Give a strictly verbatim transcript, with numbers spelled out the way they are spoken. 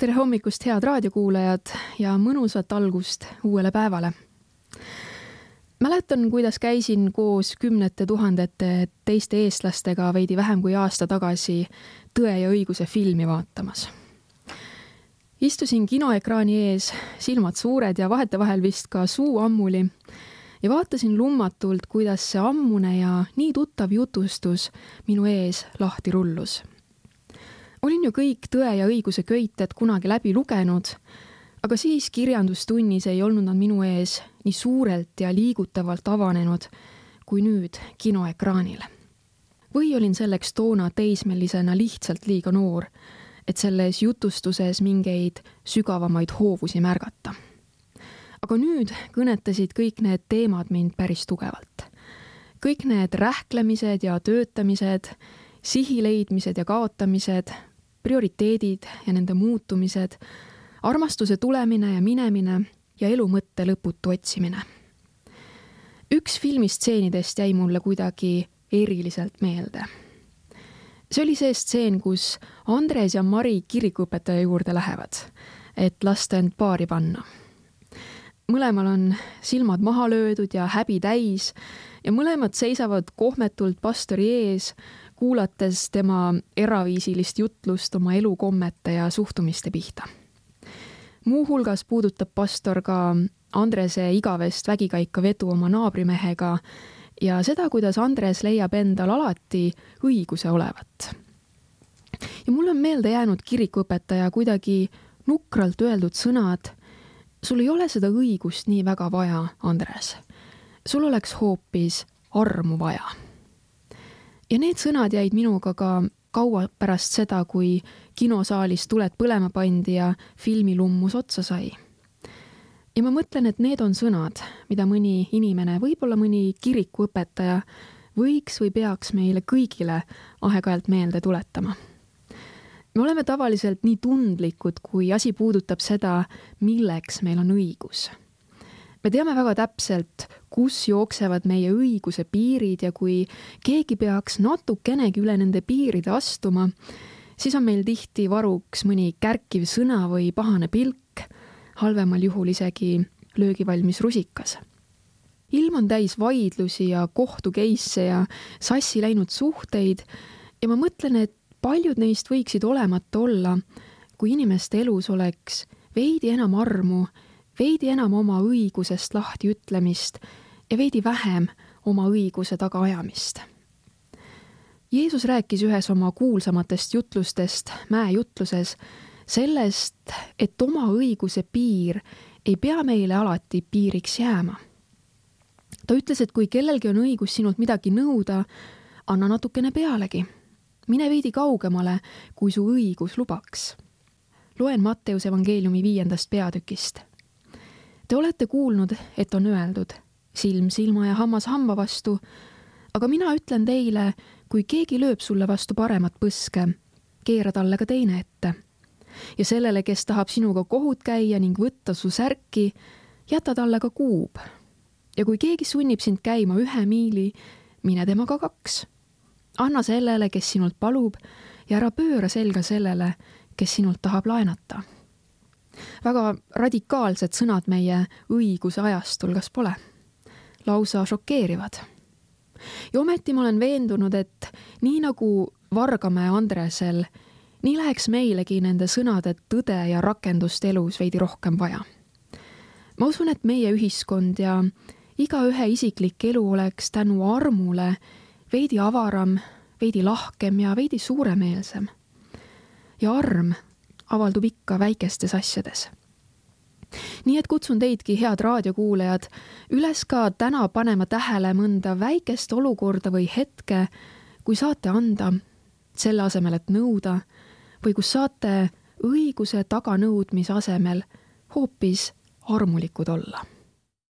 Tere hommikust, head raadiokuulajad ja mõnusat algust uuele päevale. Mäletan, kuidas käisin koos kümnete tuhandete teiste eestlastega veidi vähem kui aasta tagasi Tõe ja õiguse filmi vaatamas. Istusin kinoekraani ees, silmad suured ja vahetevahel vist ka suu ammuli ja vaatasin lummatult, kuidas see ammune ja nii tuttav jutustus minu ees lahti rullus. Olin ju kõik Tõe ja õiguse köited kunagi läbi lugenud, aga siis kirjandustunnis ei olnud nad minu ees nii suurelt ja liigutavalt avanenud kui nüüd kinoekraanil. Või olin selleks toona teismelisena lihtsalt liiga noor, et selles jutustuses mingeid sügavamaid hoovusi märgata. Aga nüüd kõnetasid kõik need teemad mind päris tugevalt. Kõik need rähklemised ja töötamised, sihileidmised ja kaotamised, prioriteedid ja nende muutumised, armastuse tulemine ja minemine ja elu mõtte lõputu otsimine. Üks filmistseenidest jäi mulle kuidagi eriliselt meelde. See oli see stseen, kus Andres ja Mari kirikuõpetaja juurde lähevad, et lasta end paari panna. Mõlemal on silmad maha löödud ja häbi täis ja mõlemad seisavad kohmetult pastori ees, kuulates tema eraviisilist jutlust oma elukommete ja suhtumiste pihta. Muu hulgas puudutab pastor ka Andrese igavest vägikaika vedu oma naabrimehega ja seda, kuidas Andres leiab endal alati õiguse olevat. Ja mul on meelde jäänud kirikuõpetaja kuidagi nukralt öeldud sõnad: sul ei ole seda õigust nii väga vaja, Andres. Sul oleks hoopis armu vaja. Ja need sõnad jäid minuga ka kaua pärast seda, kui kinosaalis tuled põlema pandi ja filmi lummus otsa sai. Ja ma mõtlen, et need on sõnad, mida mõni inimene, võib-olla mõni kirikuõpetaja võiks või peaks meile kõigile aeg-ajalt meelde tuletama. Me oleme tavaliselt nii tundlikud, kui asi puudutab seda, milleks meil on õigus. Me teame väga täpselt, kus jooksevad meie õiguse piirid ja kui keegi peaks natukenegi üle nende piiride astuma, siis on meil tihti varuks mõni kärkiv sõna või pahane pilk, halvemal juhul isegi löögivalmis rusikas. Ilm on täis vaidlusi ja kohtukeisse ja sassi läinud suhteid ja ma mõtlen, et paljud neist võiksid olemata olla, kui inimeste elus oleks veidi enam armu, veidi enam oma õigusest lahti ütlemist ja veidi vähem oma õiguse tagaajamist. Jeesus rääkis ühes oma kuulsamatest jutlustest, mäejutluses, sellest, et oma õiguse piir ei pea meile alati piiriks jääma. Ta ütles, et kui kellelgi on õigus sinult midagi nõuda, anna natukene pealegi. Mine veidi kaugemale, kui su õigus lubaks. Loen Matteuse evangeeliumi viiendast peatükist. Te olete kuulnud, et on öeldud, silm silma ja hammas hamba vastu, aga mina ütlen teile, kui keegi lööb sulle vastu paremat põske, keera talle ka teine ette. Ja sellele, kes tahab sinuga kohut käia ning võtta su särki, jäta talle ka kuub. Ja kui keegi sunnib sind käima ühe miili, mine temaga kaks. Anna sellele, kes sinult palub, ja ära pööra selga sellele, kes sinult tahab laenata. Väga radikaalsed sõnad meie õiguse ajastul, kas pole? Lausa šokeerivad. Ja ometi ma olen veendunud, et nii nagu Vargamäe Andresel, nii läheks meilegi nende sõnade tõde ja rakendust elus veidi rohkem vaja. Ma usun, et meie ühiskond ja igaühe isiklik elu oleks tänu armule veidi avaram, veidi lahkem ja veidi suuremeelsem. Ja arm avaldub ikka väikestes asjades. Nii et kutsun teidki, head raadiokuulajad, üles ka täna panema tähele mõnda väikest olukorda või hetke, kui saate anda selle asemel, et nõuda, või kus saate õiguse taganõudmise asemel hoopis armulikud olla.